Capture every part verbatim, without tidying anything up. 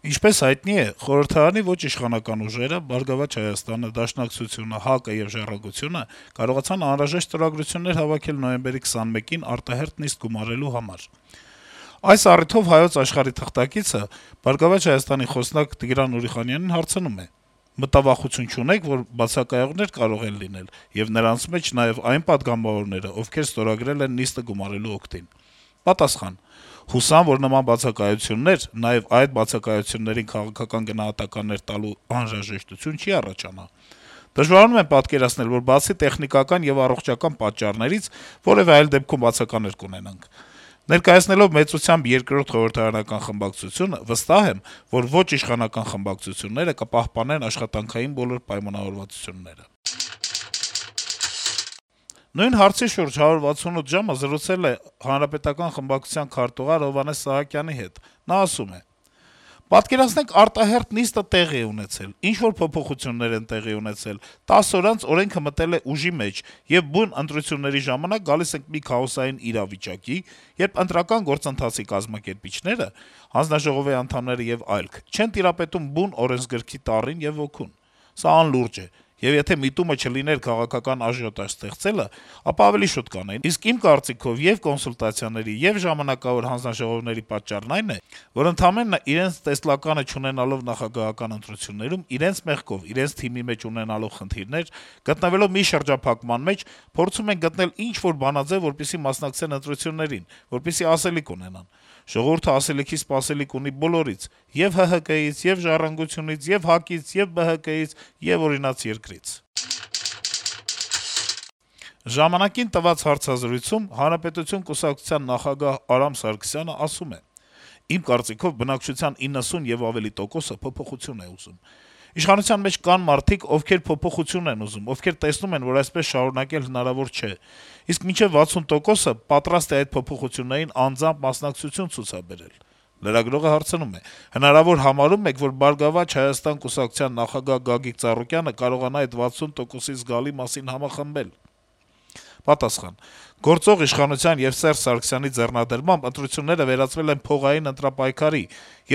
Ինչպես հայտնի է, խորհրդարանի ոչ իշխանական ուժերը՝ «Բարգավաճ Հայաստանը», Դաշնակցությունը, ՀԱԿ-ը եւ «Ժառանգությունը» կարողացան անհրաժեշտ ստորագրություններ հավաքել նոյեմբերի քսանմեկին արտահերթ նիստ գումարելու համար: Այս առիթով «Հայոց Աշխարհ»-ի թղթակիցը «Բարգավաճ Հայաստանի» խոսնակ Տիգրան Ուրիխանյանին հարցնում է. - «Մտավախություն չունե՞ք, որ բացակայողներ կարող են լինել, եւ նրանց մեջ նաեւ այն պատգամավորները, ովքեր ստորագրել են նիստը գումարելու օգտին»: Պատասխան. - «Հուսամ, որ նման բացակայություններ, նաեւ այդ բացակայություններին քաղաքական գնահատականներ տալու անհրաժեշտություն չի առաջանա: Դժվարանում եմ պատկերացնել, որ բացի տեխնիկական եւ առողջական պատճառներից որեւէ այլ դեպքում բացականեր կունենանք: Ներկայացնելով մեծությամբ երկրորդ խորհրդարանական խմբակցությունը, վստահ եմ, որ ոչ իշխանական խմբակցությունները կպահպանեն աշխատանքային բոլոր պայմանավորվածությունները»: Նույն հարցի շուրջ «հարյուր վաթսունութ ժամ»-ը զրուցել է Հանրապետական խմբակցության քարտուղար Հովհաննես Սահակյանի հետ: Նա ասում է. - «Պատկերացնենք, արտահերթ նիստը տեղի է ունեցել, ինչ-որ փոփոխություններ են տեղի ունեցել, տասը օր անց օրենքը մտել է ուժի մեջ, եւ բուն ընտրությունների ժամանակ գալիս ենք մի քաոսային իրավիճակի, երբ ընտրական գործընթացի կազմակերպիչները, հանձնաժողովի անդամները եւ այլք չեն տիրապետում բուն օրենսգրքի տառին եւ ոգուն: Սա անլուրջ է, եւ եթե միտումը չլիներ քաղաքական աժիոտաժ ստեղծելը, ապա ավելի շուտ կանեին: Իսկ իմ կարծիքով ե'ւ կոնսուլտացիաների, ե'ւ ժամանակավոր հանձնաժողովների պատճառն այն է, որ ընդամենը իրենց տեսլականը չունենալով նախագահական ընտրություններում, իրենց մեղքով, իրենց թիմի մեջ ունենալով խնդիրներ, գտնվելով մի շրջափակման մեջ, փորձում են գտնել ինչ-որ բանաձեւ, որպեսզի մասնակցեն ընտրություններին, որպեսզի ասելիք ունենան: Ժողովուրդը ասելիքի սպասելիք ունի բոլորից՝ ե'ւ ՀՀԿ-ից, ե'ւ «Ժառանգությունից», ե'ւ ՀԱԿ-ից, ե'ւ ԲՀԿ-ից, ե'ւ օրինաց երկրից»: «Ժամանակ»-ին տված հարցազրույցում Հանրապետություն կուսակցության նախագահ Արամ Սարգսյանը ասում է. - «Իմ կարծիքով բնակչության իննսուն եւ ավելի տոկոսը փոփոխություն է ուզում: Իշխանության մեջ կան մարդիկ, ովքեր փոփոխություն են ուզում, ովքեր տեսնում են, որ այսպես շարունակել հնարավոր չէ: Իսկ մինչեւ վաթսուն տոկոսը պատրաստ է այդ փոփոխություններին անձամբ մասնակցություն ցուցաբերել»: Լրագրողը հարցնում է. - «Հնարավոր համարո՞ւմ եք, որ «Բարգավաճ Հայաստան» կուսակցության նախագահ Գագիկ Ծառուկյանը կարողանա այդ վաթսուն տոկոսի զգալի մասին համախմբել»: Պատասխան. - «Գործող իշխանության եւ Սերժ Սարգսյանի ձեռնադրմամբ ընտրությունները վերածվել են փողային ընտրապայքարի,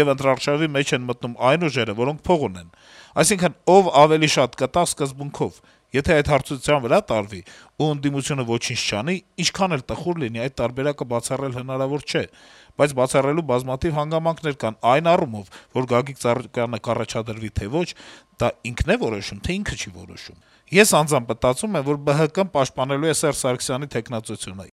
եւ ընտրարշավի մեջ են մտնում այն ուժերը, որոնք փող ունեն: Այսինքն՝ ով ավելի շատ կտա սկզբունքով: Եթե այդ հարցության վրա տարվի, ու ընդդիմությունը ոչինչ չանի, ինչքան էլ տխուր լինի, այդ տարբերակը բացառել հնարավոր չէ: Բայց բացառելու բազմաթիվ հանգամանքներ կան այն առումով, որ Գագիկ Ծառուկյանը կառաջադրվի, թե ոչ, դա ինքն է որոշում, թե ինքը չի որոշում: Ես անձամբ մտածում եմ, որ ԲՀԿ-ն պաշտպանելու է Սերժ Սարգսյանի թեկնածությունը»: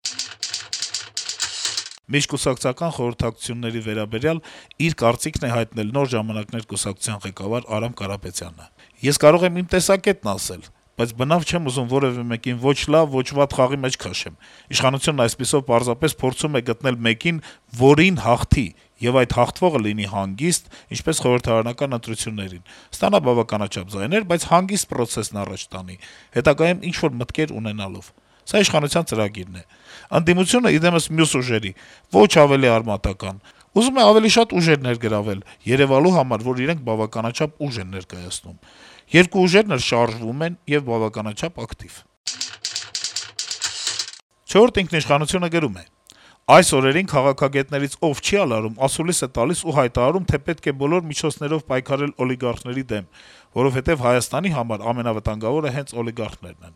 Միջկուսակցական խորհրդակցությունների վերաբերյալ իր կարծիքն է հայտնել «Նոր ժամանակներ» կուսակցության ղեկավար Արամ Կարապետյանը. - «Ես կարող եմ իմ տեսակետն ասել, բայց բնավ չեմ ուզում որեւէ մեկին ոչ լավ, ոչ վատ խաղի մեջ քաշեմ: Իշխանությունն այսպիսով պարզապես փորձում է գտնել մեկին, որին հաղթի, եւ այդ հաղթողը լինի հանգիստ, ինչպես խորհրդարանական ընտրություններին, ստանա բավականաչափ ձայներ, բայց հանգիստ պրոցեսն առաջ տանի, հետագայում ինչ-որ մտքեր ունենալով: Սա իշխանության ծրագիրն է: Ընդդիմությունը, ի դեմս մյուս ուժերի, ոչ ավելի արմատական, ուզում է ավելի շատ ուժեր ներգրավել, երեւալու համար, որ իրենք բավականաչափ ուժ են ներկայացնում: Երկու ուժերն էլ շարժվում են եւ բավականաչափ ակտիվ»: «Չորրորդ ինքնիշխանություն»-ը գրում է. - «Այս օրերին քաղաքագետներից ով չի ալարում, ասուլիս է տալիս ու հայտարարում, թե պետք է բոլոր միջոցներով պայքարել օլիգարխների դեմ, որովհետեւ Հայաստանի համար ամենավտանգավորը հենց օլիգարխներն են: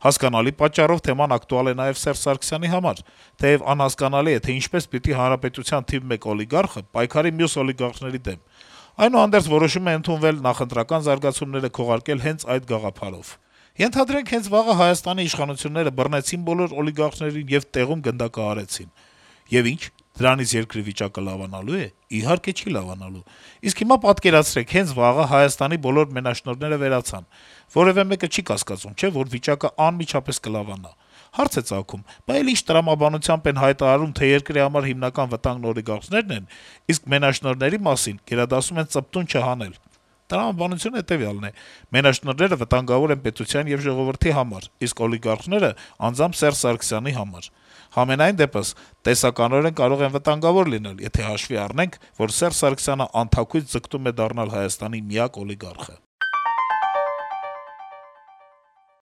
Հասկանալի պատճառով թեման ակտուալ է նաեւ Սերժ Սարգսյանի համար, թեեւ անհասկանալի է, թե ինչպես պիտի հանրապետության թիվ մեկ օլիգարխը պայքարի մյուս օլիգարխների դեմ: Այդուհանդերձ որոշում է ընդունվել նախընտրական զարգացումները քողարկել հենց այդ գաղափարով: Ենթադրենք, հենց վաղը Հայաստանի իշխանությունները բռնեցին բոլոր օլիգարխներին եւ տեղում գնդակահարեցին: Եվ ի՞նչ: Դրանից երկրի վիճակը լավանալու է: Իհարկե չի լավանալու: Իսկ հիմա պատկերացրեք, հենց վաղը Հայաստանի բոլոր մենաշնորհները վերացան: Որեւէ մեկը չի կասկածում, չէ՞, որ վիճակը անմիջապես կլավանա: Հարց է ծագում՝ բա էլ ի՞նչ տրամաբանությամբ են հայտարարում, թե երկրի համար հիմնական վտանգն օլիգարխներն են, իսկ մենաշնորհների մասին գերադասում են ծպտուն չհանել: Տրամաբանությունն հետեւյալն է. մենաշնորհները վտանգավոր են պետության եւ ժողովրդի համար, իսկ օլիգարխները անձամբ Սերժ Սարգսյանի համար: Համենայն դեպս, տեսականորեն կարող են վտանգավոր լինել, եթե հաշվի առնենք, որ Սերժ Սարգսյանը անթաքույց ձգտում է դառնալ Հայաստանի միակ օլիգարխը»: